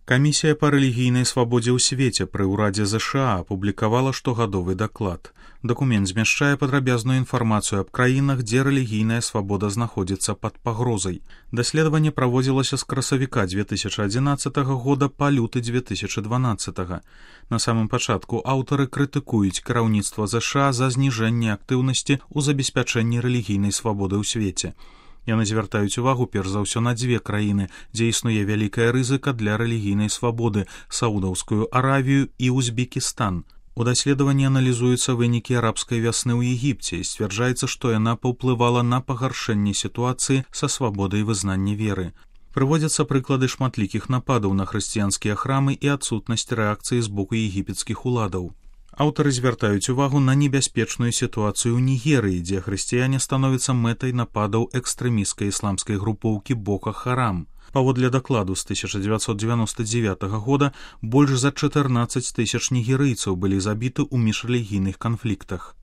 Камісія па рэлігійнай свабодзе ў свеце пры ўрадзе ЗША апублікавала штогадовы даклад. Дакумент змяшчае падрабязную інфармацыю аб краінах, дзе рэлігійная свабода знаходзіцца пад пагрозай. Даследаванне праводзілася з красавіка 2011 года па люты 2012. На самым пачатку аўтары крытыкуюць кіраўніцтва ЗША за зніжэнне актыўнасці ў забеспячэнні рэлігійнай свабоды ў свеце. Яны звяртаюць увагу перш за ўсё на дзве краіны, дзе існуе вялікая рызыка для рэлігійнай свабоды – Саудаўскую Аравію і Узбекістан. У даследаванні аналізуюцца вынікі арабскай вясны ў Егіпце і сцвярджаецца, што яна паўплывала на пагаршэнне сітуацыі са свабодай вызнання веры. Прыводзяцца прыклады шматлікіх нападаў на хрысціянскія храмы і адсутнасць рэакцыі з боку егіпецкіх уладаў. Аўтары звяртаюць увагу на небяспечную сітуацыю ў Нігерыі, дзе хрысціяне становяцца мэтай нападаў экстрэмісцкай ісламскай групоўкі Бока Харам. Паводле дакладу з 1999 года больш за 14 тысяч нігерыйцаў былі забіты ў міжрэлігійных канфліктах.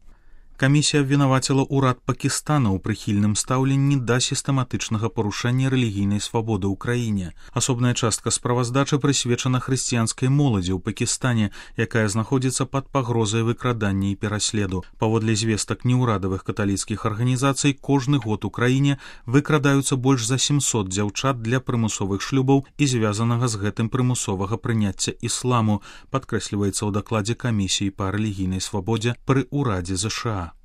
Камісія абвінаваціла ўрад Пакістана ў прыхільным стаўленні да сістэматычнага парушэння рэлігійнай свабоды ў краіне. Асобная частка справаздачы прысвечана хрысціянскай моладзі ў Пакістане, якая знаходзіцца пад пагрозай выкрадання і пераследу. Паводле звестак неўрадавых каталіцкіх арганізацый, кожны год у краіне выкрадаюцца больш за 700 дзяўчат для прымусовых шлюбаў і звязанага з гэтым прымусовага прыняцця ісламу, падкрэсліваецца ў дакладзе камісіі па рэлігійнай свабодзе пры ўрадзе ЗША.